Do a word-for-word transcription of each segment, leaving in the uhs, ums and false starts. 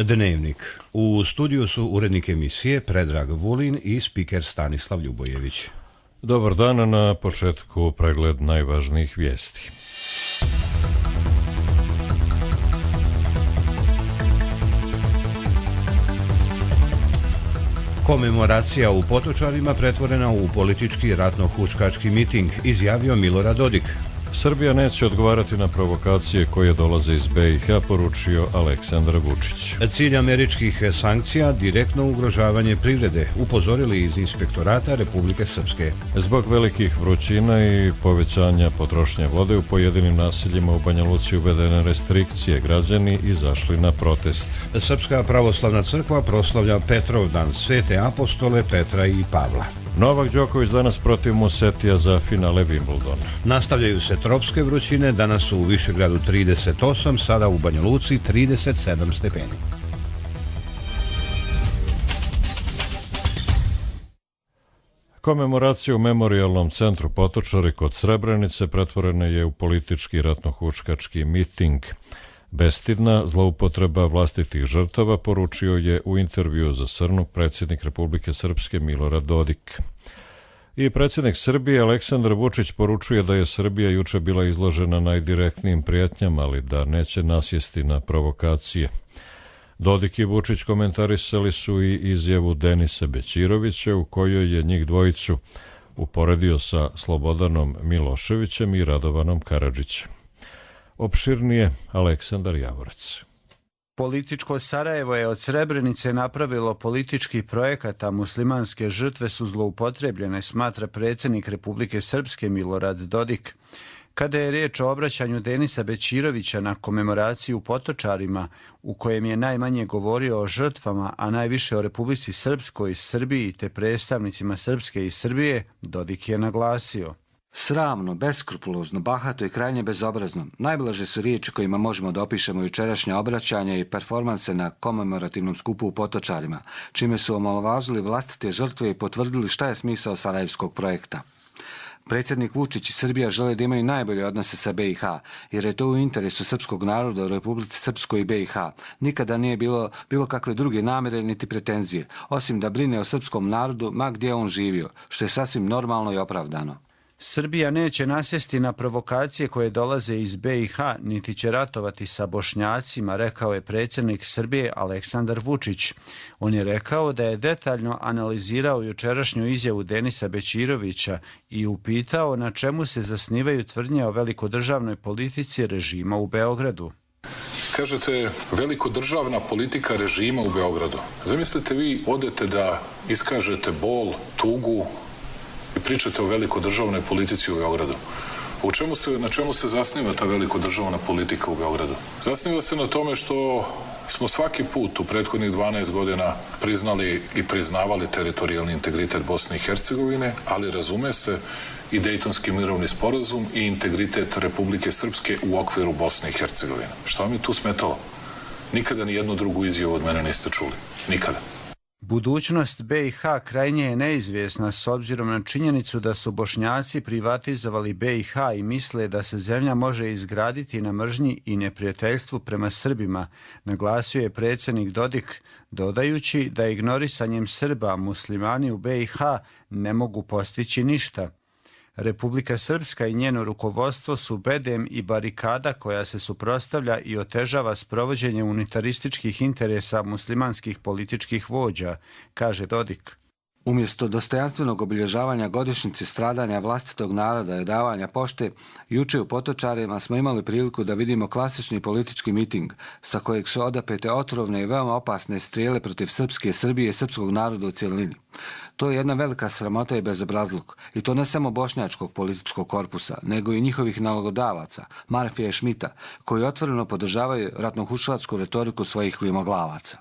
Dnevnik. U studiju su urednik emisije Predrag Vulin i spiker Stanislav Ljubojević. Dobar dan, na početku pregled najvažnijih vijesti. Komemoracija u Potočarima pretvorena u politički ratno-huškački miting, izjavio Milorad Dodik. Srbija neće odgovarati na provokacije koje dolaze iz B i H, poručio Aleksandar Vučić. Cilj američkih sankcija direktno ugrožavanje privrede, upozorili iz Inspektorata Republike Srpske. Zbog velikih vrućina i povećanja potrošnje vode u pojedinim naseljima u Banja Luci uvedene restrikcije, građani izašli na protest. Srpska pravoslavna crkva proslavlja Petrovdan, svete apostole Petra i Pavla. Novak Đoković danas protiv Musetija za finale Wimbledona. Nastavljaju se tropske vrućine, danas su u Višegradu trideset osam, sada u Banja Luci trideset sedam stepeni. Komemoracija u Memorijalnom centru Potočari kod Srebrenice pretvorena je u politički ratno-huškački miting. Bestidna zloupotreba vlastitih žrtava, poručio je u intervju za Srnu predsjednik Republike Srpske Milorad Dodik. I predsjednik Srbije Aleksandar Vučić poručuje da je Srbija juče bila izložena najdirektnijim prijetnjama, ali da neće nasjesti na provokacije. Dodik i Vučić komentarisali su i izjavu Denisa Bećirovića u kojoj je njih dvojicu uporedio sa Slobodanom Miloševićem i Radovanom Karadžićem. Opširnije Aleksandar Javorac. Političko Sarajevo je od Srebrenice napravilo politički projekat, a muslimanske žrtve su zloupotrebljene, smatra predsjednik Republike Srpske Milorad Dodik. Kada je riječ o obraćanju Denisa Bećirovića na komemoraciju u Potočarima, u kojem je najmanje govorio o žrtvama, a najviše o Republici Srpskoj, Srbiji te predstavnicima Srpske i Srbije, Dodik je naglasio: sramno, beskrupulozno, bahato i krajnje bezobrazno. Najblaže su riječi kojima možemo da opišemo jučerašnja obraćanja i performanse na komemorativnom skupu u Potočarima, čime su omalovažili vlastite žrtve i potvrdili šta je smisao sarajevskog projekta. Predsjednik Vučić i Srbija žele da imaju najbolje odnose sa B i H, jer je to u interesu srpskog naroda u Republici Srpskoj i B i H. Nikada nije bilo bilo kakve druge namjere niti pretenzije, osim da brine o srpskom narodu ma gdje on živio, što je sasvim normalno i opravdano. Srbija neće nasjesti na provokacije koje dolaze iz B i H, niti će ratovati sa Bošnjacima, rekao je predsjednik Srbije Aleksandar Vučić. On je rekao da je detaljno analizirao jučerašnju izjavu Denisa Bećirovića i upitao na čemu se zasnivaju tvrdnje o velikodržavnoj politici režima u Beogradu. Kažete, velikodržavna politika režima u Beogradu. Zamislite, vi odete da iskažete bol, tugu i pričate o velikodržavnoj politici u Beogradu. U čemu se, na čemu se zasniva ta velikodržavna politika u Beogradu? Zasniva se na tome što smo svaki put u prethodnih dvanaest godina priznali i priznavali teritorijalni integritet Bosne i Hercegovine, ali razume se i Dejtonski mirovni sporazum i integritet Republike Srpske u okviru Bosne i Hercegovine. Šta vam je tu smetalo? Nikada ni jednu drugu izjavu od mene niste čuli. Nikada. Budućnost B i H krajnje je neizvjesna s obzirom na činjenicu da su Bošnjaci privatizovali B i H i misle da se zemlja može izgraditi na mržnji i neprijateljstvu prema Srbima, naglasio je predsjednik Dodik, dodajući da ignorisanjem Srba muslimani u B i H ne mogu postići ništa. Republika Srpska i njeno rukovodstvo su bedem i barikada koja se suprotstavlja i otežava sprovođenje unitarističkih interesa muslimanskih političkih vođa, kaže Dodik. Umjesto dostojanstvenog obilježavanja godišnjice stradanja vlastitog naroda i davanja pošte, juče u Potočarima smo imali priliku da vidimo klasični politički miting sa kojeg su odapete otrovne i veoma opasne strijele protiv Srpske, Srbije i srpskog naroda u cjelini. To je jedna velika sramota i bezobrazluk, i to ne samo bošnjačkog političkog korpusa, nego i njihovih nalogodavaca, Marfija i Šmita, koji otvoreno podržavaju ratnohuškačku retoriku svojih klimoglavaca.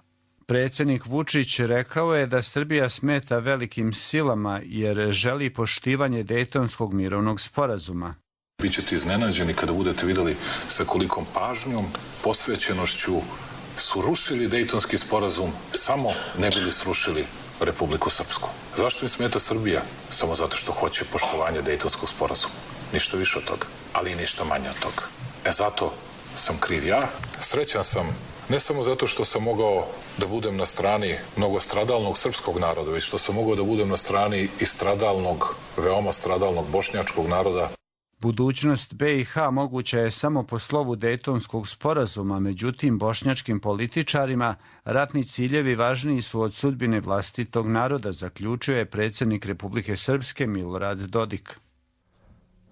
Predsjednik Vučić rekao je da Srbija smeta velikim silama jer želi poštivanje Dejtonskog mirovnog sporazuma. Bićete iznenađeni kada budete vidjeli sa kolikom pažnjom, posvećenošću su rušili Dejtonski sporazum, samo ne bili srušili Republiku Srpsku. Zašto im smeta Srbija? Samo zato što hoće poštovanje Dejtonskog sporazuma. Ništa više od toga, ali i ništa manje od toga. E zato sam kriv ja, srećan sam ne samo zato što sam mogao da budem na strani mnogostradalnog srpskog naroda, već što sam mogao da budem na strani i stradalnog, veoma stradalnog bošnjačkog naroda. Budućnost B i H moguća je samo po slovu Dejtonskog sporazuma, međutim bošnjačkim političarima ratni ciljevi važniji su od sudbine vlastitog naroda, zaključio je predsjednik Republike Srpske Milorad Dodik.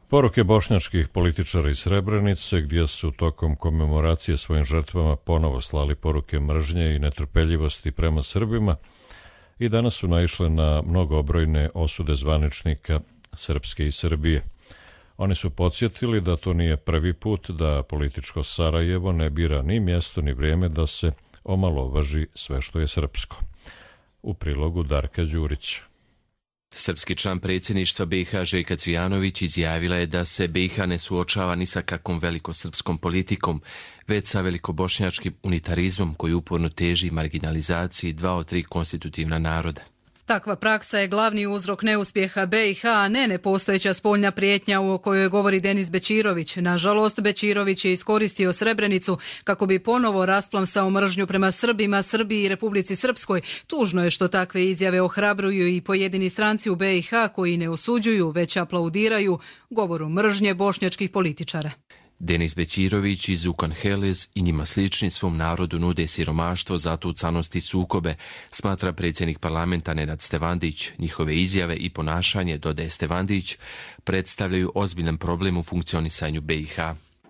Poruke bošnjačkih političara iz Srebrenice, gdje su tokom komemoracije svojim žrtvama ponovo slali poruke mržnje i netrpeljivosti prema Srbima, i danas su naišle na mnogobrojne osude zvaničnika Srpske i Srbije. Oni su podsjetili da to nije prvi put da političko Sarajevo ne bira ni mjesto ni vrijeme da se omalovaži sve što je srpsko. U prilogu Darka Đurić. Srpski član predsjedništva B i H Željka Cvijanović izjavila je da se B i H ne suočava ni sa kakvom velikosrpskom politikom, već sa velikobošnjačkim unitarizmom koji uporno teži marginalizaciji dva od tri konstitutivna naroda. Takva praksa je glavni uzrok neuspjeha B i H, a ne nepostojeća spoljna prijetnja o kojoj govori Denis Bećirović. Nažalost, Bećirović je iskoristio Srebrenicu kako bi ponovo rasplamsao mržnju prema Srbima, Srbiji i Republici Srpskoj. Tužno je što takve izjave ohrabruju i pojedini stranci u B i H koji ne osuđuju, već aplaudiraju govoru mržnje bošnjačkih političara. Denis Bećirović i Zukan Helez i njima slični svom narodu nude siromaštvo, zatucanost i sukobe, smatra predsjednik parlamenta Nenad Stevandić. Njihove izjave i ponašanje, dodaje Stevandić, predstavljaju ozbiljan problem u funkcionisanju B i H.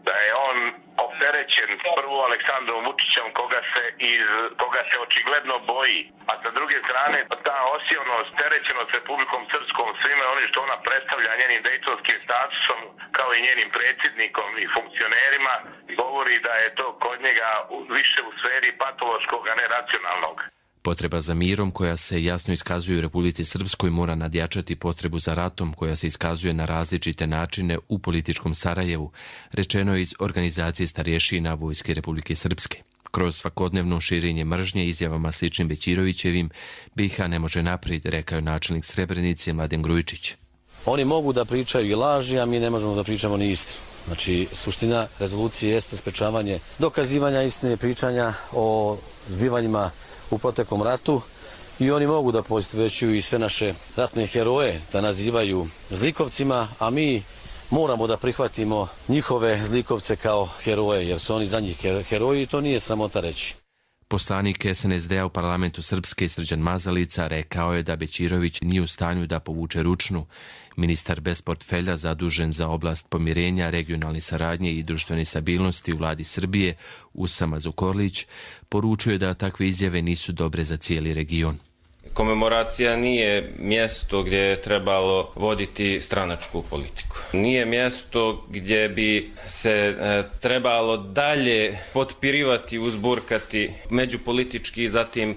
Da je on opterećen prvo Aleksandrom Vučićem koga se, iz, koga se očigledno boji, a sa druge strane ta osjetljivost, terećenost Republikom Srpskom, svime onim što ona predstavlja njenim dejtonskim statusom, kao i njenim predsjednikom i funkcionerima, govori da je to kod njega više u sferi patološkog, a ne racionalnog. Potreba za mirom koja se jasno iskazuje u Republici Srpskoj mora nadjačati potrebu za ratom koja se iskazuje na različite načine u političkom Sarajevu, rečeno je iz organizacije starješina Vojske Republike Srpske. Kroz svakodnevno širenje mržnje izjavama sličnim Bećirovićevim, B i H ne može naprijed, rekao je načelnik Srebrenice Mladen Grujičić. Oni mogu da pričaju i laži, a mi ne možemo da pričamo ni istinu. Znači, suština rezolucije jeste sprečavanje dokazivanja istine, pričanja o zbivanjima u proteklom ratu, i oni mogu da poistovjećuju i sve naše ratne heroje da nazivaju zlikovcima, a mi moramo da prihvatimo njihove zlikovce kao heroje, jer su oni za njih heroji i to nije sramota reći. Poslanik S N S D-a u parlamentu Srpske Srđan Mazalica rekao je da Bećirović nije u stanju da povuče ručnu. Ministar bez portfelja zadužen za oblast pomirenja, regionalne saradnje i društvene stabilnosti u vladi Srbije, Usama Zukorlić, poručuje da takve izjave nisu dobre za cijeli region. Komemoracija nije mjesto gdje je trebalo voditi stranačku politiku. Nije mjesto gdje bi se e, trebalo dalje potpirivati, uzburkati međupolitički, zatim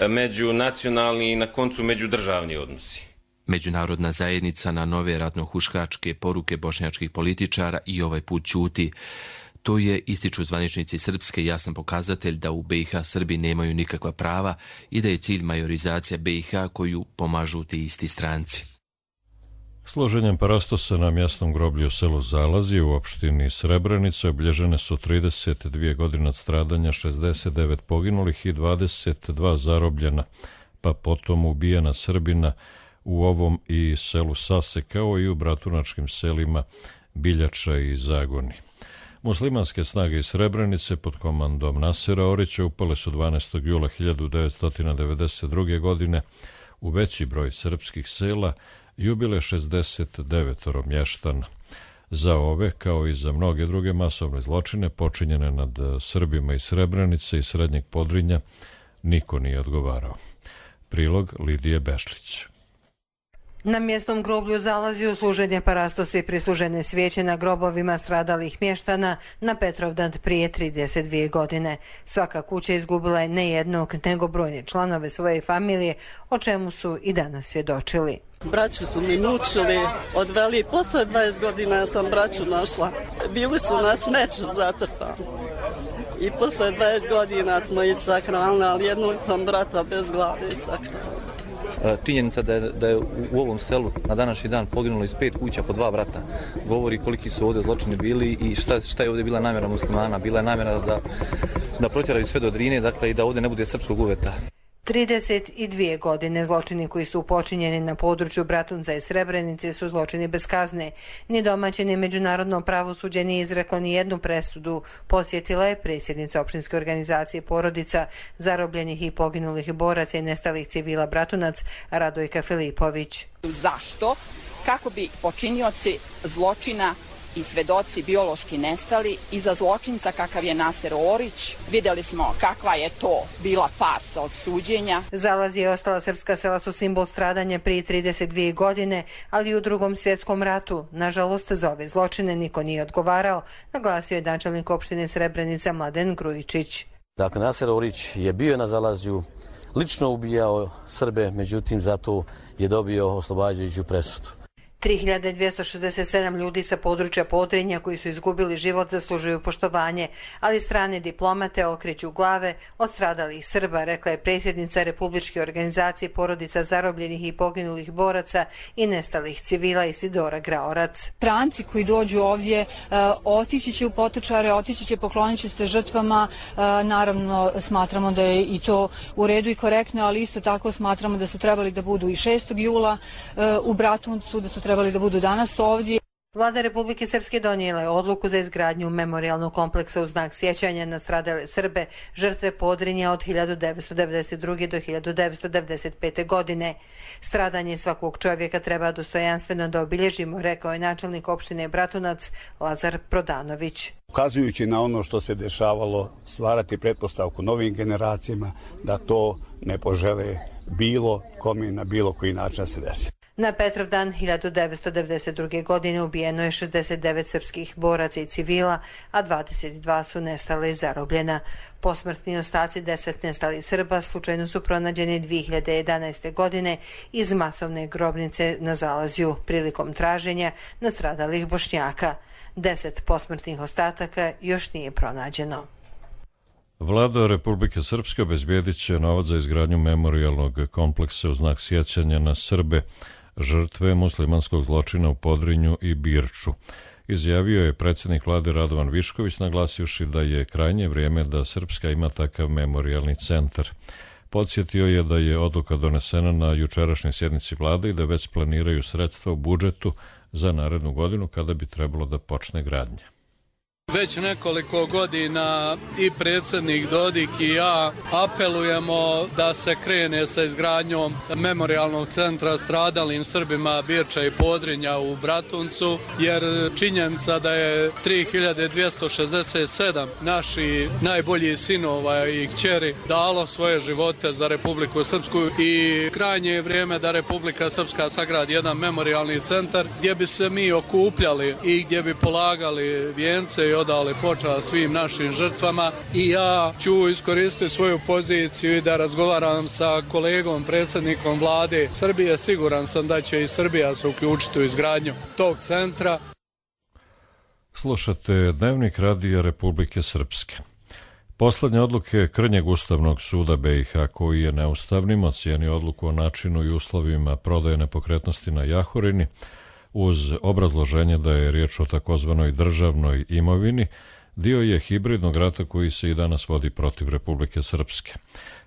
e, međunacionalni i na koncu međudržavni odnosi. Međunarodna zajednica na nove ratnohuškačke poruke bošnjačkih političara i ovaj put ćuti. To je, ističu zvaničnici Srpske, jasan pokazatelj da u B i H Srbi nemaju nikakva prava i da je cilj majorizacija B i H koju pomažu ti isti stranci. Složenjem parastosa na mjesnom groblju u selu Zalazi u opštini Srebrenice obilježene su trideset dvije godine od stradanja, šezdeset devet poginulih i dvadeset dva zarobljena, pa potom ubijena Srbina u ovom i selu Sase, kao i u bratunačkim selima Biljača i Zagoni. Muslimanske snage iz Srebrenice pod komandom Nasera Orića upale su dvanaestog jula hiljadu devetsto devedeset druge. godine u veći broj srpskih sela i ubile šezdeset devet mještana. Za ove, kao i za mnoge druge masovne zločine počinjene nad Srbima iz Srebrenice i Srednjeg Podrinja, niko nije odgovarao. Prilog Lidije Bešlić. Na mjesnom groblju Zalazi u služenje parastosa i prislužene svijeće na grobovima stradalih mještana na Petrovdan prije trideset dvije godine. Svaka kuća izgubila je ne jednog, nego brojne članove svoje familije, o čemu su i danas svjedočili. Braću su mi mučili, odveli, posle dvadeset godina sam braću našla. Bili su na smeću zatrpani. I posle dvadeset godina smo ih sakrali, ali jednog sam brata bez glave sakrali. Činjenica da je, da je u ovom selu na današnji dan poginulo iz pet kuća po dva brata govori koliki su ovdje zločini bili i šta, šta je ovdje bila namjera muslimana. Bila je namjera da da protjeraju sve do Drine, dakle i da ovdje ne bude srpskog uveta. trideset dvije godine zločini koji su počinjeni na području Bratunca i Srebrenice su zločini bez kazne. Ni domaće ni međunarodno pravosuđe nije izreklo ni jednu presudu, posjetila je predsjednica opštinske organizacije porodica zarobljenih i poginulih boraca i nestalih civila Bratunac Radojka Filipović. Zašto? Kako bi počinioci zločina i svedoci biološki nestali i za zločinca kakav je Naser Orić. Vidjeli smo kakva je to bila farsa od suđenja. Zalaz i ostala srpska sela su simbol stradanja prije trideset dvije godine, ali i u Drugom svjetskom ratu. Nažalost, za ove zločine niko nije odgovarao, naglasio je načelnik opštine Srebrenica Mladen Grujičić. Dakle, Naser Orić je bio na zalazju, lično ubijao Srbe, međutim zato je dobio oslobađajuću presudu. tri hiljade dvjesto šezdeset sedam ljudi sa područja Podrinja koji su izgubili život zaslužuju poštovanje, ali strane diplomate okreću glave od stradalih Srba, rekla je predsjednica Republičke organizacije porodica zarobljenih i poginulih boraca i nestalih civila Isidora Graorac. Stranci koji dođu ovdje otići će u Potočare, otići će, poklonit će se žrtvama. Naravno, smatramo da je i to u redu i korektno, ali isto tako smatramo da su trebali da budu i šestog jula u Bratuncu, da su trebali da budu danas ovdje. Vlada Republike Srpske donijela je odluku za izgradnju memorijalnog kompleksa u znak sjećanja na stradale Srbe, žrtve Podrinja od hiljadu devetsto devedeset druge do hiljadu devetsto devedeset pete. godine. Stradanje svakog čovjeka treba dostojanstveno da obilježimo, rekao je načelnik opštine Bratunac Lazar Prodanović. Ukazujući na ono što se dešavalo, stvarati pretpostavku novim generacijama da to ne požele bilo kome na bilo koji način se desi. Na Petrovdan hiljadu devetsto devedeset druge. godine ubijeno je šezdeset devet srpskih boraca i civila, a dvadeset dva su nestala i zarobljena. Posmrtni ostaci deset nestalih Srba slučajno su pronađeni dvije hiljade jedanaeste. godine iz masovne grobnice na Zalazju prilikom traženja nastradalih Bošnjaka. Deset posmrtnih ostataka još nije pronađeno. Vlada Republike Srpske obezbijedit će novac za izgradnju memorijalnog kompleksa u znak sjećanja na Srbe, žrtve muslimanskog zločina u Podrinju i Birču. Izjavio je predsjednik vlade Radovan Višković, naglasivši da je krajnje vrijeme da Srpska ima takav memorijalni centar. Podsjetio je da je odluka donesena na jučerašnjoj sjednici vlade i da već planiraju sredstva u budžetu za narednu godinu kada bi trebalo da počne gradnja. Već nekoliko godina i predsjednik Dodik i ja apelujemo da se krene sa izgradnjom memorijalnog centra stradalim Srbima Birča i Podrinja u Bratuncu, jer činjenica da je tri hiljade dvjesto šezdeset sedam naših najboljih sinova i kćeri dalo svoje živote za Republiku Srpsku i krajnje je vrijeme da Republika Srpska sagradi jedan memorijalni centar gdje bi se mi okupljali i gdje bi polagali vijence i odali počast svim našim žrtvama. I ja ću iskoristiti svoju poziciju i da razgovaram sa kolegom, predsjednikom vlade Srbije. Siguran sam da će i Srbija se uključiti u izgradnju tog centra. Slušate Dnevnik radija Republike Srpske. Poslednje odluke Krnjeg Ustavnog suda B i H, koji je neustavnim ocijenio odluku o načinu i uslovima prodaje nepokretnosti na Jahorini, uz obrazloženje da je riječ o takozvanoj državnoj imovini, dio je hibridnog rata koji se i danas vodi protiv Republike Srpske.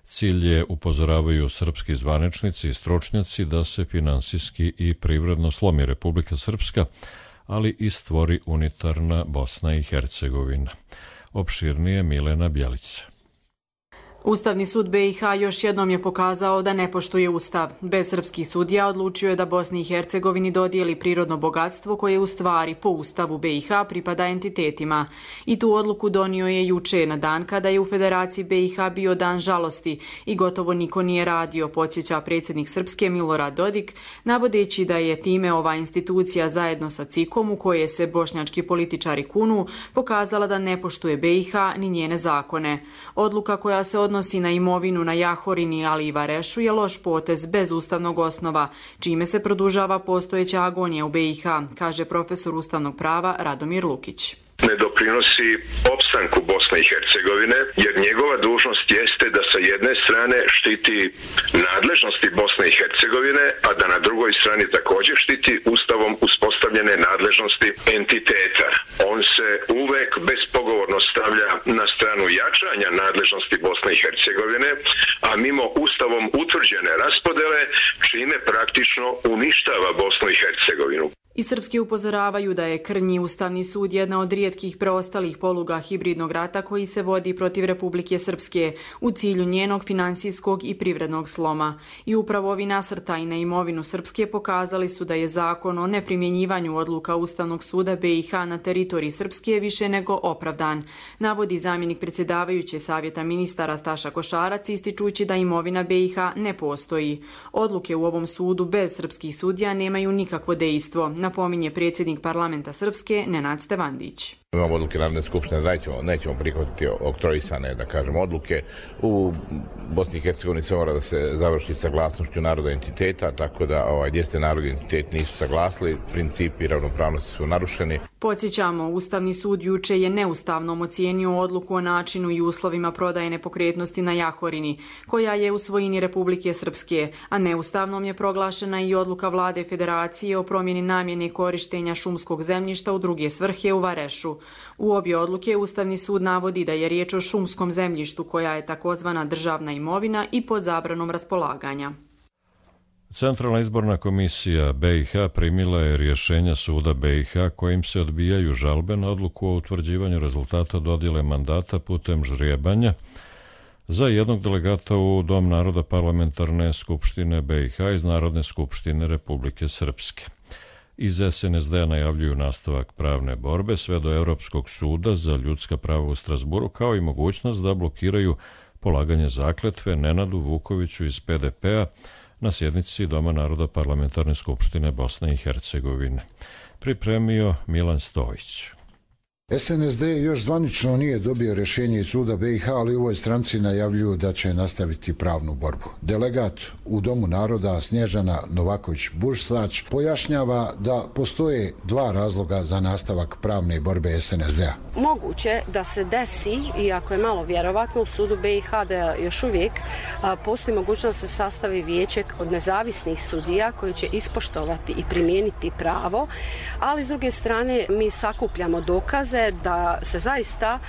Cilj je, upozoravaju srpski zvaničnici i stručnjaci, da se finansijski i privredno slomi Republika Srpska, ali i stvori unitarna Bosna i Hercegovina. Opširnije Milena Bjelica. Ustavni sud B i H još jednom je pokazao da ne poštuje ustav. Bez srpskih sudija odlučio je da Bosni i Hercegovini dodijeli prirodno bogatstvo koje u stvari po ustavu B i H pripada entitetima. I tu odluku donio je juče, na dan kada je u Federaciji B i H bio dan žalosti i gotovo niko nije radio, podsjeća predsjednik Srpske Milorad Dodik, navodeći da je time ova institucija zajedno sa C I K-om, u koje se bošnjački političari kunu, pokazala da ne poštuje B i H ni njene zakone. Odluka koja se odnosi na imovinu na Jahorini, ali i Varešu, je loš potez bez ustavnog osnova, čime se produžava postojeća agonija u B i H, kaže profesor ustavnog prava Radomir Lukić. Ne doprinosi opstanku Bosne i Hercegovine, jer njegova dužnost jeste da sa jedne strane štiti nadležnosti Bosne i Hercegovine, a da na drugoj strani također štiti ustavom uspostavljene nadležnosti entiteta. On se uvek bespogovorno stavlja na stranu jačanja nadležnosti Bosne i Hercegovine, a mimo ustavom utvrđene raspodele, čime praktično uništava Bosnu i Hercegovinu. I srpski upozoravaju da je krnji Ustavni sud jedna od rijetkih preostalih poluga hibridnog rata koji se vodi protiv Republike Srpske u cilju njenog finansijskog i privrednog sloma. I upravo ovi nasrtaji na imovinu Srpske pokazali su da je zakon o neprimjenjivanju odluka Ustavnog suda B i H na teritoriji Srpske više nego opravdan, navodi zamjenik predsjedavajuće Savjeta ministara Staša Košarac, ističući da imovina B i H ne postoji. Odluke u ovom sudu bez srpskih sudija nemaju nikakvo dejstvo, napominje predsjednik parlamenta Srpske Nenad Stevandić. Imamo odluke Narodne skupštine, nećemo, nećemo prihvatiti oktroisane, da kažem, odluke. U Bosni i Hercegovini se mora da se završi saglasnošću naroda entiteta, tako da ovaj, gdje se narod i entitet nisu saglasili, principi ravnopravnosti su narušeni. Podsjećamo, Ustavni sud juče je neustavnom ocijenio odluku o načinu i uslovima prodaje nepokretnosti na Jahorini, koja je u svojini Republike Srpske, a neustavnom je proglašena i odluka vlade Federacije o promjeni namjene korištenja šumskog zemljišta u druge svrhe u Varešu. U obje odluke Ustavni sud navodi da je riječ o šumskom zemljištu koja je takozvana državna imovina i pod zabranom raspolaganja. Centralna izborna komisija B i H primila je rješenja suda B i H kojim se odbijaju žalbe na odluku o utvrđivanju rezultata dodjele mandata putem žrijebanja za jednog delegata u Dom naroda parlamentarne skupštine B i H iz Narodne skupštine Republike Srpske. Iz S N S D-a najavljuju nastavak pravne borbe sve do Europskog suda za ljudska prava u Strasburu, kao i mogućnost da blokiraju polaganje zakletve Nenadu Vukoviću iz P D P-a na sjednici Doma naroda parlamentarne skupštine Bosne i Hercegovine. Pripremio Milan Stojić. S N S D još zvanično nije dobio rješenje iz suda B i H, ali u ovoj stranci najavljuju da će nastaviti pravnu borbu. Delegat u Domu naroda Snježana Novaković-Bursač pojašnjava da postoje dva razloga za nastavak pravne borbe S N S D-a. Moguće da se desi, iako je malo vjerovatno, u sudu B i H da još uvijek a, postoji mogućnost da se sastavi vijeće od nezavisnih sudija koji će ispoštovati i primijeniti pravo, ali s druge strane mi sakupljamo dokaze da se zaista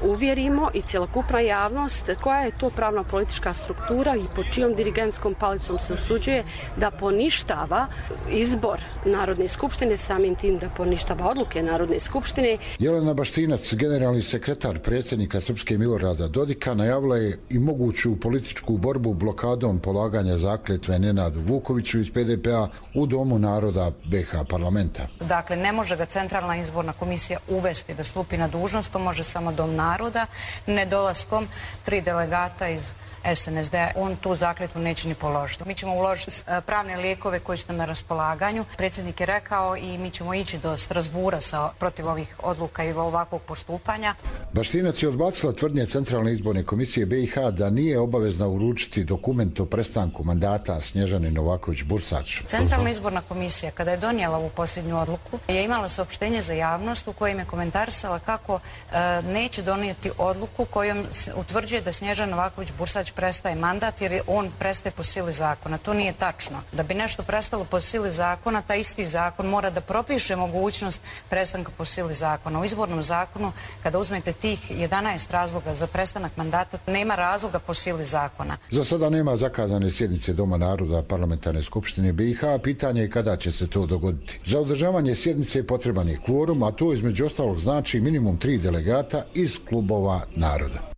uvjerimo i cjelokupna javnost koja je to pravna politička struktura i pod čijom dirigentskom palicom se usuđuje da poništava izbor Narodne skupštine, samim tim da poništava odluke Narodne skupštine. Jelena Baštinac, generalni sekretar predsjednika Srpske Milorada Dodika, najavila je i moguću političku borbu blokadom polaganja zakletve Nenadu Vukoviću iz P D P-a u Domu naroda B i H parlamenta. Dakle, ne može ga Centralna izborna komisija uvesti da stupi na dužnost, to može samo Dom naroda, nedolaskom tri delegata iz S N S D-a, on tu zakletvu neće ni položiti. Mi ćemo uložiti pravne lijekove koji su na raspolaganju. Predsjednik je rekao i mi ćemo ići do Strasbura sa, protiv ovih odluka i ovakvog postupanja. Baštinac je odbacila tvrdnje Centralne izborne komisije B i H da nije obavezna uručiti dokument o prestanku mandata Snježane Novaković-Bursač. Centralna izborna komisija, kada je donijela ovu posljednju odluku, je imala saopštenje za javnost u kojem je komentarisala kako e, neće donijeti odluku kojom utvrđuje da Snježana Novaković-Bursač prestaje mandat jer on prestaje po sili zakona. To nije tačno. Da bi nešto prestalo po sili zakona, taj isti zakon mora da propiše mogućnost prestanka po sili zakona. U izbornom zakonu, kada uzmete tih jedanaest razloga za prestanak mandata, nema razloga po sili zakona. Za sada nema zakazane sjednice Doma naroda parlamentarne skupštine B i H, pitanje je kada će se to dogoditi. Za održavanje sjednice potreban je kvorum, a to između ostalog znači minimum tri delegata iz klubova naroda.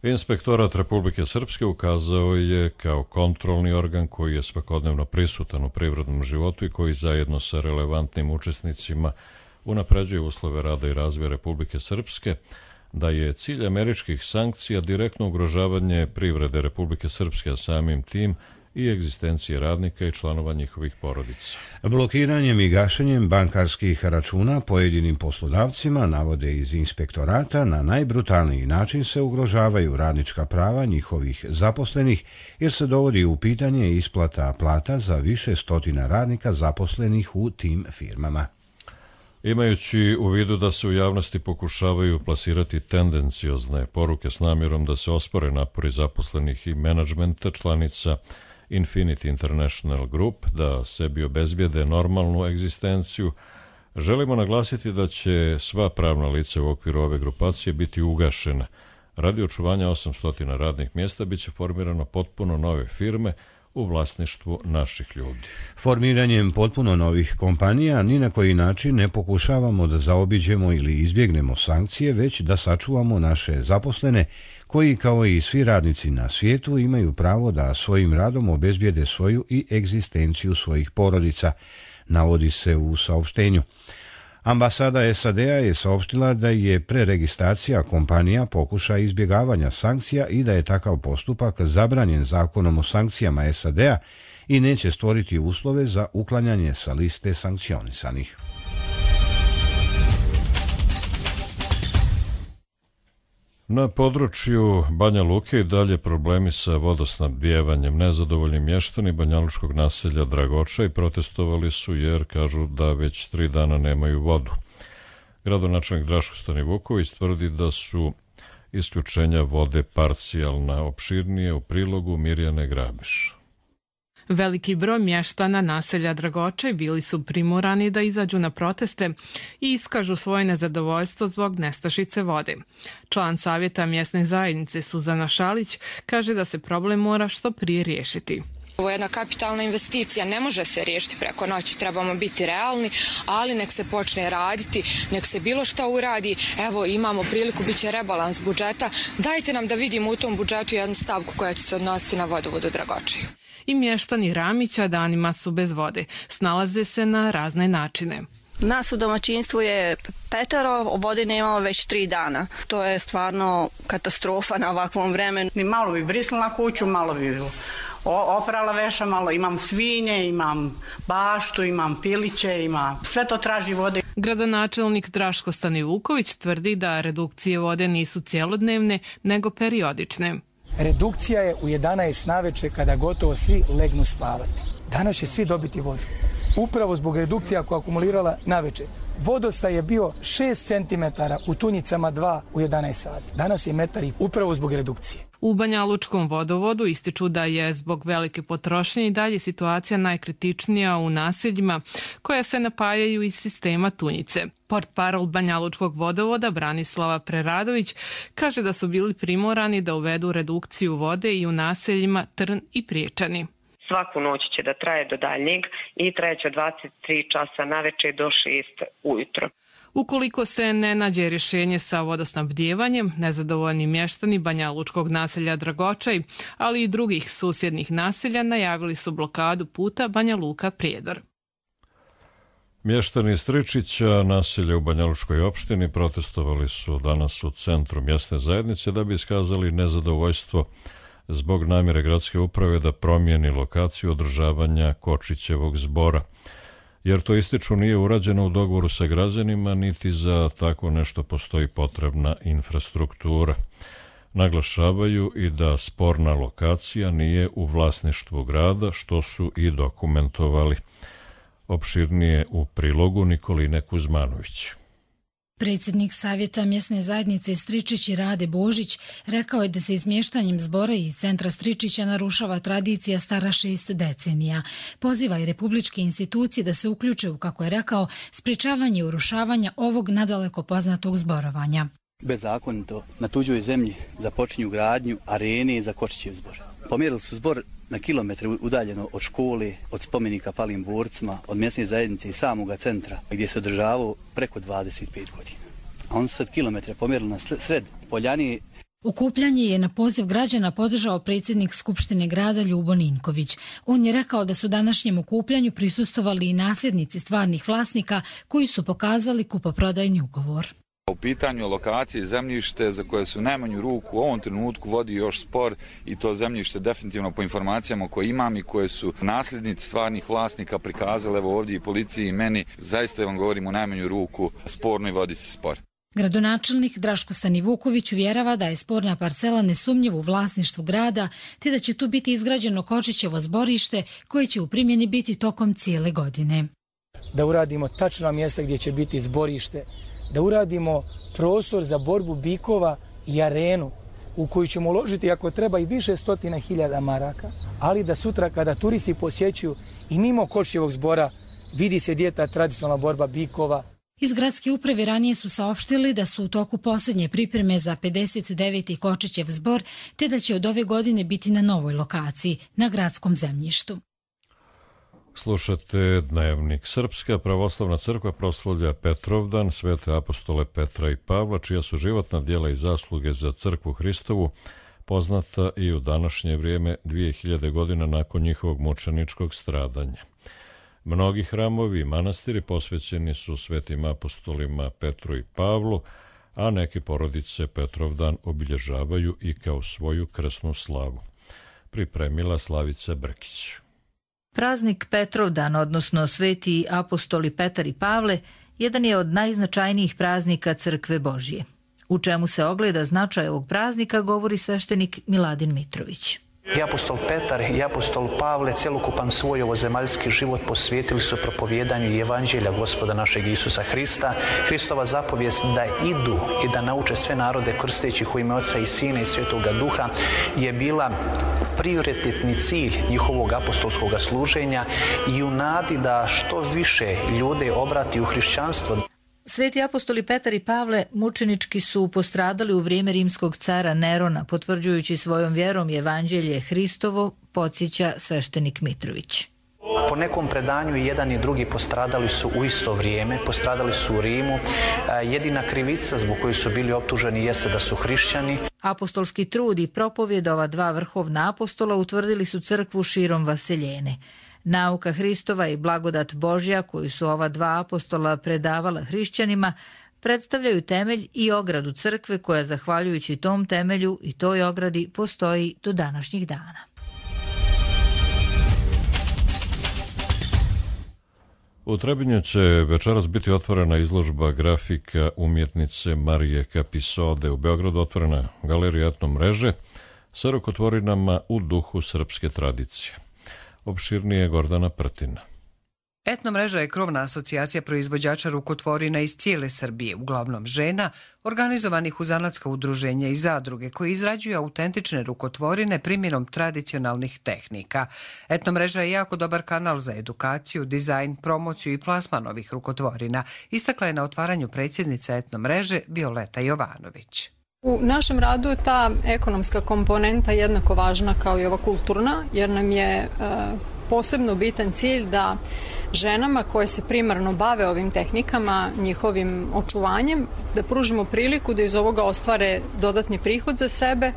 Inspektorat Republike Srpske ukazao je kao kontrolni organ koji je svakodnevno prisutan u privrednom životu i koji zajedno sa relevantnim učesnicima unapređuje uslove rada i razvoja Republike Srpske, da je cilj američkih sankcija direktno ugrožavanje privrede Republike Srpske, a samim tim i egzistencije radnika i članova njihovih porodica. Blokiranjem i gašenjem bankarskih računa pojedinim poslodavcima, navode iz inspektorata, na najbrutalniji način se ugrožavaju radnička prava njihovih zaposlenih, jer se dovodi u pitanje isplata plata za više stotina radnika zaposlenih u tim firmama. Imajući u vidu da se u javnosti pokušavaju plasirati tendenciozne poruke s namjerom da se ospore napori zaposlenih i menadžmenta članica Infinity International Group da sebi obezbijede normalnu egzistenciju, Želimo naglasiti da će sva pravna lica u okviru ove grupacije biti ugašena. Radi očuvanja osamsto radnih mjesta biće formirano potpuno nove firme u vlasništvu naših ljudi. Formiranjem potpuno novih kompanija ni na koji način ne pokušavamo da zaobiđemo ili izbjegnemo sankcije, već da sačuvamo naše zaposlene koji, kao i svi radnici na svijetu, imaju pravo da svojim radom obezbijede svoju i egzistenciju svojih porodica, navodi se u saopštenju. Ambasada S A D-a je saopštila da je preregistracija kompanija pokušaj izbjegavanja sankcija i da je takav postupak zabranjen zakonom o sankcijama S A D-a i neće stvoriti uslove za uklanjanje sa liste sankcionisanih. Na području Banja Luke i dalje problemi sa vodosnabdijevanjem. Nezadovoljni mještani banjalučkog naselja Dragočaj protestovali su jer kažu da već tri dana nemaju vodu. Gradonačelnik Draško Stanivuković tvrdi da su isključenja vode parcijalna. Opširnije u prilogu Mirjane Grabiš. Veliki broj mještana naselja Dragočaj bili su primorani da izađu na proteste i iskažu svoje nezadovoljstvo zbog nestašice vode. Član savjeta mjesne zajednice Suzana Šalić kaže da se problem mora što prije riješiti. Ovo je jedna kapitalna investicija, ne može se riješiti preko noći, trebamo biti realni, ali nek se počne raditi, nek se bilo šta uradi. Evo, imamo priliku, bit će rebalans budžeta, dajte nam da vidimo u tom budžetu jednu stavku koja će se odnositi na vodovod u Dragočaju. I mještani Ramića danima su bez vode, snalaze se na razne načine. Nas u domaćinstvu je petero, vode nemamo već tri dana. To je stvarno katastrofa na ovakvom vremenu. Malo bi brisnula kuću, malo bi oprala veša, malo imam svinje, imam baštu, imam piliće, imam... sve to traži vode. Gradonačelnik Draško Stanivuković tvrdi da redukcije vode nisu cjelodnevne, nego periodične. Redukcija je u jedanaest naveče kada gotovo svi legnu spavati. Danas će svi dobiti vodu. Upravo zbog redukcija koja akumulirala naveče. Vodostaj je bio šest centimetara, u Tunjicama dva u jedanaest sati. Danas je metar i upravo zbog redukcije. U Banjalučkom vodovodu ističu da je zbog velike potrošnje i dalje situacija najkritičnija u naseljima koja se napajaju iz sistema Tunjice. Portparol Banjalučkog vodovoda Branislava Preradović kaže da su bili primorani da uvedu redukciju vode i u naseljima Trn i Priječani. Svaku noć će da traje do daljnjeg i trajeće dvadeset tri časa naveče do šest ujutro. Ukoliko se ne nađe rješenje sa vodosnabdijevanjem, nezadovoljni mještani Banjalučkog naselja Dragočaj, ali i drugih susjednih naselja najavili su blokadu puta Banja Luka-Prijedor. Mještani Stričića, naselja u Banjalučkoj opštini, protestovali su danas u centru mjesne zajednice da bi iskazali nezadovoljstvo zbog namjere gradske uprave da promijeni lokaciju održavanja Kočićevog zbora. Jer to ističu nije urađeno u dogovoru sa građanima, niti za tako nešto postoji potrebna infrastruktura. Naglašavaju i da sporna lokacija nije u vlasništvu grada, što su i dokumentovali. Opširnije u prilogu Nikoline Kuzmanović. Predsjednik Savjeta mjesne zajednice Stričić Rade Božić rekao je da se izmještanjem zbora iz centra Stričića narušava tradicija stara šest decenija. Poziva i republičke institucije da se uključe u, kako je rekao, sprječavanje urušavanja ovog nadaleko poznatog zborovanja. Bezakonito na tuđoj zemlji započinju gradnju arene za Kočićev zbor. Pomjerili su zbor na kilometre udaljeno od škole, od spomenika palim borcima, od mjesne zajednice i samoga centra gdje se održavao preko dvadeset pet godina. A on sad kilometre pomjerili na sred Poljani. Okupljanje je na poziv građana podržao predsjednik Skupštine grada Ljubo Ninković. On je rekao da su današnjem okupljanju prisustvovali i nasljednici stvarnih vlasnika koji su pokazali kupoprodajni ugovor. U pitanju lokacije zemljište za koje su najmanju ruku u ovom trenutku vodi još spor i to zemljište definitivno po informacijama koje imam i koje su nasljednici stvarnih vlasnika prikazali evo ovdje i policiji i meni, zaista vam govorim u najmanju ruku sporno i vodi se spor. Gradonačelnik Draško Stanivuković uvjerava da je sporna parcela nesumnjivo u vlasništvu grada te da će tu biti izgrađeno Kočićevo zborište koje će u primjeni biti tokom cijele godine. Da uradimo tačna mjesta gdje će biti zborište, da uradimo prostor za borbu bikova i arenu u koju ćemo uložiti ako treba i više stotina hiljada maraka, ali da sutra kada turisti posjećuju i mimo Kočićevog zbora vidi se gdje je ta tradicionalna borba bikova. Iz gradske uprave ranije su saopštili da su u toku posljednje pripreme za pedeset deveti Kočićev zbor, te da će od ove godine biti na novoj lokaciji, na gradskom zemljištu. Slušate Dnevnik. Srpska pravoslavna crkva proslavlja Petrovdan, svete apostole Petra i Pavla, čija su životna djela i zasluge za crkvu Hristovu poznata i u današnje vrijeme dvije hiljade godina nakon njihovog mučeničkog stradanja. Mnogi hramovi i manastiri posvećeni su svetim apostolima Petru i Pavlu, a neke porodice Petrovdan obilježavaju i kao svoju krsnu slavu. Pripremila Slavica Brkić. Praznik Petrovdan, odnosno sveti apostoli Petar i Pavle, jedan je od najznačajnijih praznika Crkve Božje. U čemu se ogleda značaj ovog praznika, govori sveštenik Miladin Mitrović. I apostol Petar i apostol Pavle cjelokupan svoj ovozemaljski život posvetili su propovjedanju evanđelja Gospoda našeg Isusa Hrista. Hristova zapovijest da idu i da nauče sve narode krsteći u ime Oca i Sina i Svetoga Duha je bila prioritetni cilj njihovog apostolskog služenja i u nadi da što više ljude obrati u hrišćanstvo. Sveti apostoli Petar i Pavle mučenički su postradali u vrijeme rimskog cara Nerona, potvrđujući svojom vjerom evanđelje Hristovo, podsjeća sveštenik Mitrović. Po nekom predanju i jedan i drugi postradali su u isto vrijeme, postradali su u Rimu. Jedina krivica zbog koje su bili optuženi jeste da su hrišćani. Apostolski trud i propovjed ova dva vrhovna apostola utvrdili su crkvu širom vaseljene. Nauka Hristova i blagodat Božja koju su ova dva apostola predavala hrišćanima predstavljaju temelj i ogradu crkve koja zahvaljujući tom temelju i toj ogradi postoji do današnjih dana. U Trebinju će večeras biti otvorena izložba grafika umjetnice Marije Kapisode. U Beogradu otvorena galerija Etno mreže sa rukotvorinama u duhu srpske tradicije. Opširnije Gordana Prtina. Etno mreža je krovna asocijacija proizvođača rukotvorina iz cijele Srbije, uglavnom žena, organizovanih u zanatska udruženja i zadruge koji izrađuju autentične rukotvorine primjenom tradicionalnih tehnika. Etno mreža je jako dobar kanal za edukaciju, dizajn, promociju i plasman ovih rukotvorina, istakla je na otvaranju predsjednica Etno mreže Violeta Jovanović. U našem radu je ta ekonomska komponenta jednako važna kao i ova kulturna, jer nam je e, posebno bitan cilj da ženama koje se primarno bave ovim tehnikama, njihovim očuvanjem, da pružimo priliku da iz ovoga ostvare dodatni prihod za sebe,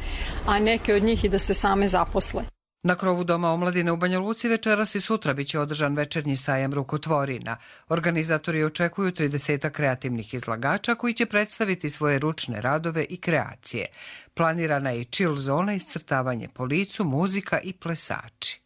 a neke od njih i da se same zaposle. Na krovu Doma omladine u Banja Luci večeras i sutra biće održan večernji sajam rukotvorina. Organizatori očekuju trideset kreativnih izlagača koji će predstaviti svoje ručne radove i kreacije. Planirana je i chill zona, iscrtavanje po licu, muzika i plesači.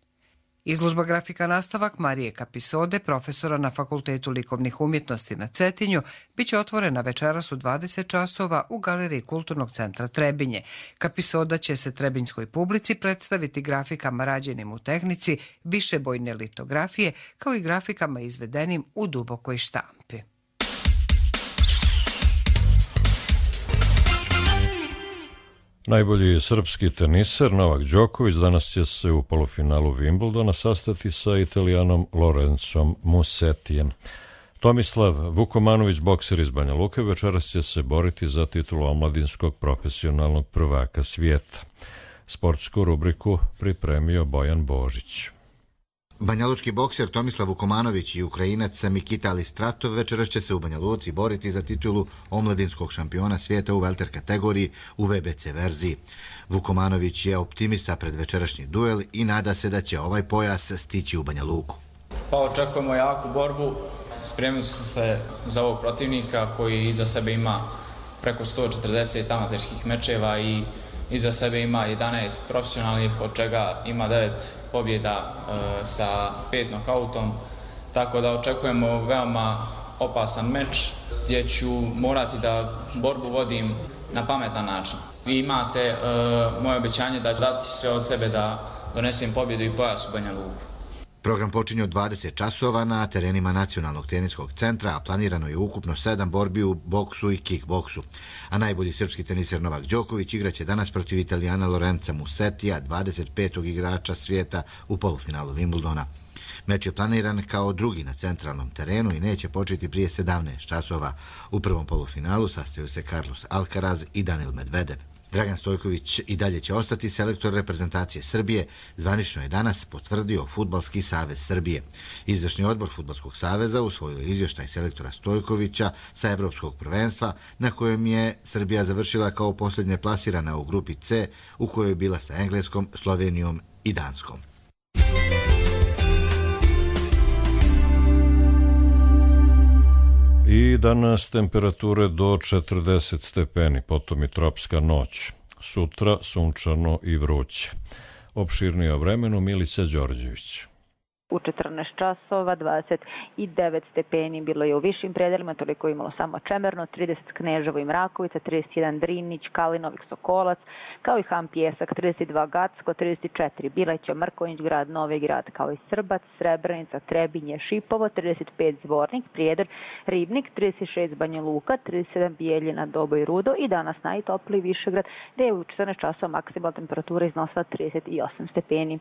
Izložba grafika nastavak Marije Kapisode, profesora na Fakultetu likovnih umjetnosti na Cetinju, biće otvorena večeras u dvadeset časova u Galeriji Kulturnog centra Trebinje. Kapisoda će se trebinjskoj publici predstaviti grafikama rađenim u tehnici višebojne litografije, kao i grafikama izvedenim u dubokoj štampi. Najbolji srpski teniser Novak Đoković danas će se u polufinalu Wimbledona sastati sa Italijanom Lorenzom Musetijem. Tomislav Vukomanović, bokser iz Banja Luke, večeras će se boriti za titulu omladinskog profesionalnog prvaka svijeta. Sportsku rubriku pripremio Bojan Božić. Banjalučki bokser Tomislav Vukomanović i Ukrajinac Mikita Alistratov večeras će se u Banja Luci boriti za titulu omladinskog šampiona svijeta u welter kategoriji u V B C verziji. Vukomanović je optimista pred večerašnji duel i nada se da će ovaj pojas stići u Banja Luku. Pa očekujemo jaku borbu, spremili smo se za ovog protivnika koji iza sebe ima preko sto četrdeset amaterskih mečeva i iza sebe ima jedanaest profesionalnih, od čega ima devet pobjeda e, sa pet nokautom, tako da očekujemo veoma opasan meč gdje ću morati da borbu vodim na pametan način. Vi imate e, moje obećanje da ću dati sve od sebe da donesem pobjedu i pojas u Banja Luku. Program počinje od dvadeset časova na terenima Nacionalnog teniskog centra, a planirano je ukupno sedam borbi u boksu i kickboksu. A najbolji srpski teniser Novak Đoković igraće danas protiv Italijana Lorenza Musetija, dvadeset petog igrača svijeta u polufinalu Wimbledona. Meč je planiran kao drugi na centralnom terenu i neće početi prije sedamnaest časova. U prvom polufinalu sastaju se Carlos Alcaraz i Danil Medvedev. Dragan Stojković i dalje će ostati selektor reprezentacije Srbije, zvanično je danas potvrdio Fudbalski savez Srbije. Izvršni odbor Fudbalskog saveza usvojio izvještaj selektora Stojkovića sa Evropskog prvenstva, na kojem je Srbija završila kao posljednje plasirana u grupi C, u kojoj je bila sa Engleskom, Slovenijom i Danskom. I danas temperature do četrdeset stepeni, potom i tropska noć. Sutra sunčano i vruće. Opširnije o vremenu Milica Đorđević. U četrnaest časova, dvadeset devet stepeni bilo je u višim predelima, toliko je imalo samo Čemerno, trideset Kneževo i Mrakovica, trideset jedan Drinić, Kalinovik, Sokolac, kao i Ham Pjesak, trideset dva Gacko, trideset četiri Bileća, Mrkonjić grad, Novi grad, kao i Srbac, Srebrenica, Trebinje, Šipovo, trideset pet Zvornik, Prijedor, Ribnik, trideset šest Banja Luka, trideset sedam Bijeljina, Dobo i Rudo i danas najtopliji Višegrad, gde je u četrnaest časova maksimalna temperatura iznosila trideset osam stepeni.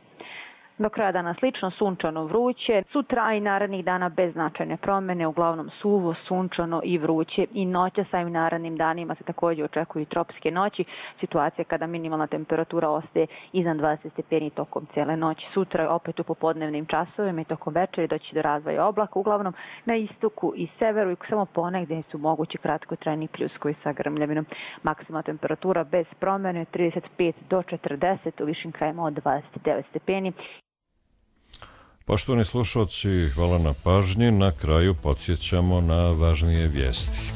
Do kraja dana slično, sunčano, vruće. Sutra i narednih dana bez značajne promjene, uglavnom suvo, sunčano i vruće. I noća sa ovim narednim danima se također očekuju tropske noći. Situacija kada minimalna temperatura ostaje iznad dvadeset stepeni tokom cijele noći. Sutra opet u popodnevnim časovima i tokom večeri doći do razvoja oblaka, uglavnom na istoku i severu i samo ponegdje su mogući kratkotrajni pljuskovi sa grmljavinom. Maksimalna temperatura bez promjene trideset pet do četrdeset, u višim krajima od dvadeset devet stepeni. Poštovani slušalci, hvala na pažnji. Na kraju podsjećamo na važnije vijesti.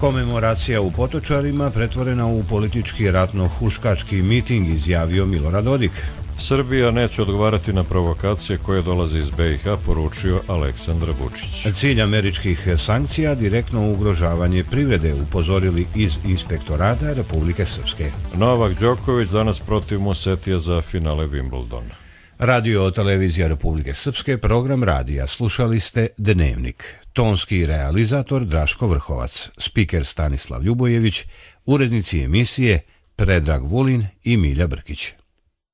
Komemoracija u Potočarima pretvorena u politički ratno-huškački miting, izjavio Milorad Dodik. Srbija neće odgovarati na provokacije koje dolaze iz be i ha, poručio Aleksandar Vučić. Cilj američkih sankcija direktno ugrožavanje privrede, upozorili iz Inspektorata Republike Srpske. Novak Đoković danas protiv Musetija za finale Wimbledona. Radio televizija Republike Srpske, program radija. Slušali ste Dnevnik. Tonski realizator Draško Vrhovac, spiker Stanislav Ljubojević, urednici emisije Predrag Vulin i Milja Brkić.